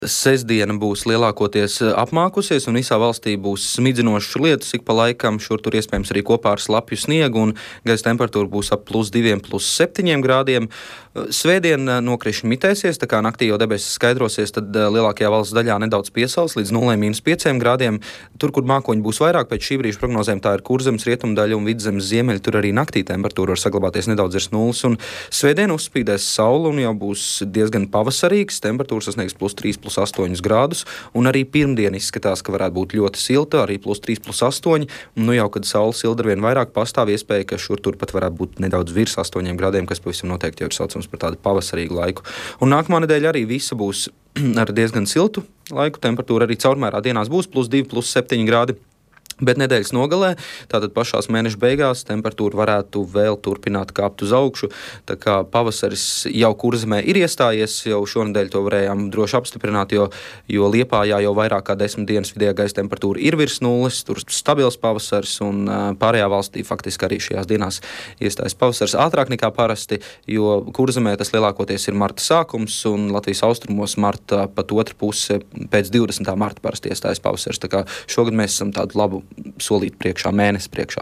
Sestdiena būs lielākoties apmākusies, un visā valstī būs smidzinošs lietus ik pa laikam, šur tur iespējams arī kopā ar slapju sniegu, un gaisa temperatūra būs ap +2, +7 grādiem. Svētdien nokrišņi mitēsies, tā kā naktī jau debesis skaidrosies, tad lielākajā valsts daļā nedaudz piesals līdz 0,-5 grādiem. Tur, kur mākoņi būs vairāk, pēc šī brīža prognozēm tā ir Kurzemes rietumdaļa un Vidzemes ziemeļi, tur arī naktī temperatūra var saglabāties nedaudz virs nulles, un svētdien uzspīdēs saule un jau būs diezgan pavasarīgs, temperatūra sasniegs +3, +8 grādus, un arī pirmdien izskatās, ka varētu būt ļoti silta, arī +3, +8, un jau, kad saule silda arvien vairāk, pastāv iespēja, ka šur tur pat varētu būt nedaudz virs 8 grādiem, kas pavisam noteikti jau ir saucams par tādu pavasarīgu laiku. Un nākamā nedēļa arī visa būs ar diezgan siltu laiku, temperatūra arī caurmērā dienās būs +2, +7 grādi. Bet nedēļas nogalē, tātad pašās mēneša beigās, temperatūra varētu vēl turpināt kāpt uz augšu. Tā kā pavasaris jau Kurzemē ir iestājies, jau šonedēļ to varējām droši apstiprināt, jo Liepājā jau vairāk kā 10 dienas vidējā gaisa temperatūra ir virs nulles, tur stabils pavasaris, un pārējā valstī faktiski arī šajās dienās iestājas pavasaris ātrāk nekā parasti, jo Kurzemē tas lielākoties ir marta sākums, un Latvijas austrumos marta pat otra puse pēc 20. marta parasti iestājas pavasaris. Tā kā šogad mēs esam tādu labu solīt priekšā, mēnesi priekšā.